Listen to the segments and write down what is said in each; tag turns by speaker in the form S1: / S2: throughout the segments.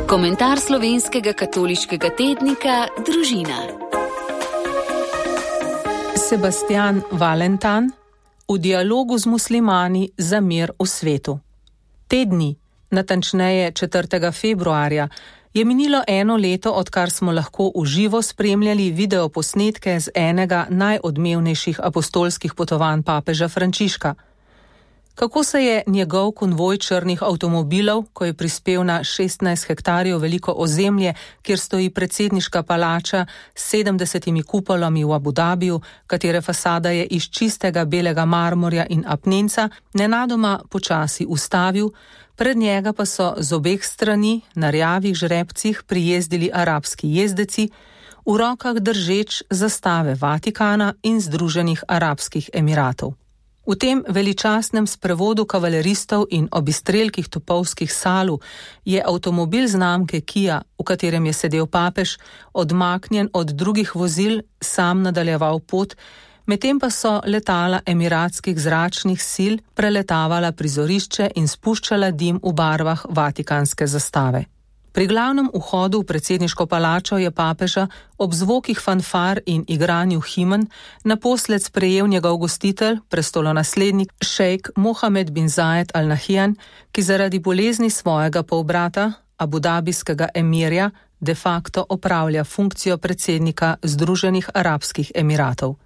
S1: Komentar slovenskega katoliškega tednika Družina.
S2: Sebastian Valentan v dialogu z muslimani za mir v svetu. Te dni, natančneje 4. februarja, je minilo 1 leto, odkar smo lahko v živo spremljali videoposnetke z enega najodmevnejših apostolskih potovanj papeža Frančiška. Kako se je njegov konvoj črnih avtomobilov, ko je prispel na 16 hektarjev veliko ozemlje, kjer stoji predsedniška palača s 70 kupolami v Abu Dhabiju, katere fasada je iz čistega belega marmorja in apnenca, nenadoma počasi ustavil, pred njega pa so z obeh strani na rjavih žrebcih prijezdili arabski jezdeci, v rokah držeč zastave Vatikana in Združenih arabskih emiratov. V tem veličastnem sprevodu kavaleristov in obistrelkih topovskih salu je avtomobil znamke Kia, v katerem je sedel papež, odmaknjen od drugih vozil, sam nadaljeval pot, medtem pa so letala emiratskih zračnih sil preletavala prizorišče in spuščala dim v barvah vatikanske zastave. Pri glavnem vhodu v predsedniško palačo je papeža ob zvokih fanfar in igranju himen naposled sprejel njegov gostitelj, prestolonaslednik šejk Mohamed bin Zayed Al Nahyan, ki zaradi bolezni svojega polbrata, abudabijskega emirja, de facto opravlja funkcijo predsednika Združenih arabskih emiratov.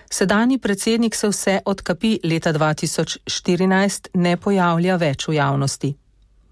S2: Sedanji predsednik se vse od kapi leta 2014 ne pojavlja več v javnosti.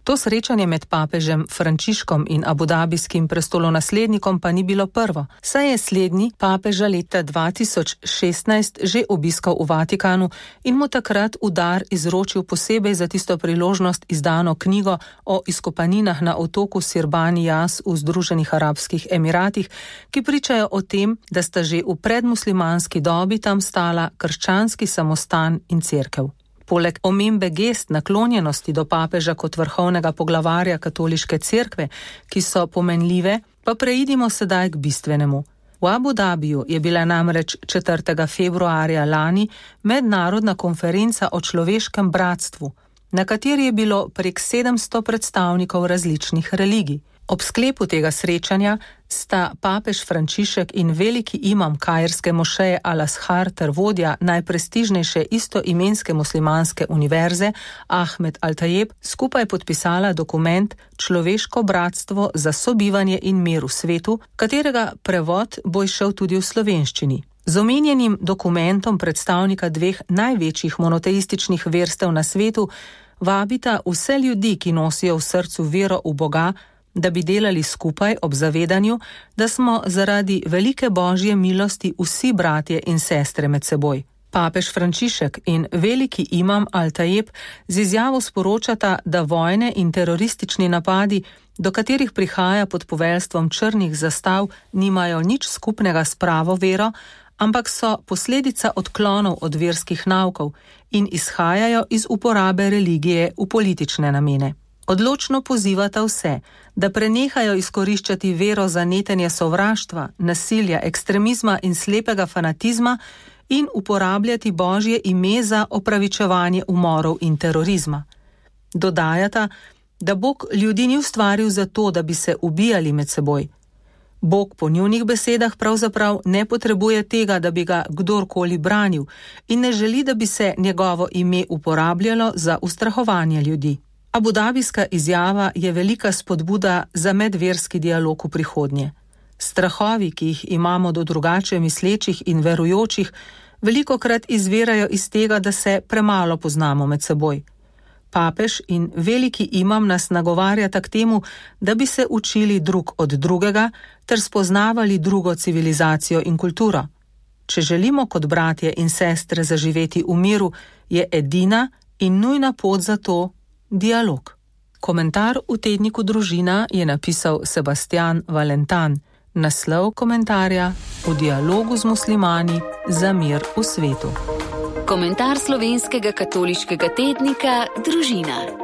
S2: To srečanje med papežem Frančiškom in abudabijskim prestolonaslednikom pa ni bilo prvo, saj je slednji papeža leta 2016 že obiskal v Vatikanu in mu takrat v dar izročil posebej za tisto priložnost izdano knjigo o izkopaninah na otoku Sirbaniyas v Združenih arabskih emiratih, ki pričajo o tem, da sta že v predmuslimanski dobi tam stala krščanski samostan in cerkev. Poleg omembe gest naklonjenosti do papeža kot vrhovnega poglavarja katoliške cerkve, ki so pomenljive, pa preidimo sedaj k bistvenemu. V Abu Dhabiju je bila namreč 4. februarja lani mednarodna konferenca o človeškem bratstvu, na kateri je bilo prek 700 predstavnikov različnih religij. Ob sklepu tega srečanja sta papež Frančišek in veliki imam kairske mošeje Al-Azhar ter vodja najprestižnejše istoimenske muslimanske univerze Ahmed Al-Tayeb skupaj podpisala dokument Človeško bratstvo za sobivanje in mir v svetu, katerega prevod bo izšel tudi v slovenščini. Z omenjenim dokumentom predstavnika dveh največjih monoteističnih verstev na svetu vabita vse ljudi, ki nosijo v srcu vero v Boga, da bi delali skupaj ob zavedanju, da smo zaradi velike božje milosti vsi bratje in sestre med seboj. Papež Frančišek in veliki imam Al-Tayeb z izjavo sporočata, da vojne in teroristični napadi, do katerih prihaja pod poveljstvom črnih zastav, nimajo nič skupnega s pravo vero, ampak so posledica odklonov od verskih naukov in izhajajo iz uporabe religije v politične namene. Odločno pozivata vse, da prenehajo izkoriščati vero za netenje sovraštva, nasilja, ekstremizma in slepega fanatizma in uporabljati Božje ime za opravičevanje umorov in terorizma. Dodajata, da Bog ljudi ni ustvaril zato, da bi se ubijali med seboj. Bog po njunih besedah pravzaprav ne potrebuje tega, da bi ga kdorkoli branil in ne želi, da bi se njegovo ime uporabljalo za ustrahovanje ljudi. Abudabijska izjava je velika spodbuda za medverski dialog v prihodnje. Strahovi, ki jih imamo do drugače mislečih in verujočih, velikokrat izvirajo iz tega, da se premalo poznamo med seboj. Papež in veliki imam nas nagovarjata k temu, da bi se učili drug od drugega ter spoznavali drugo civilizacijo in kulturo. Če želimo kot bratje in sestre zaživeti v miru, je edina in nujna pot za to dialog. Komentar v tedniku Družina je napisal Sebastian Valentan. Naslov komentarja: V dialogu z muslimani za mir v svetu.
S1: Komentar slovenskega katoliškega tednika Družina.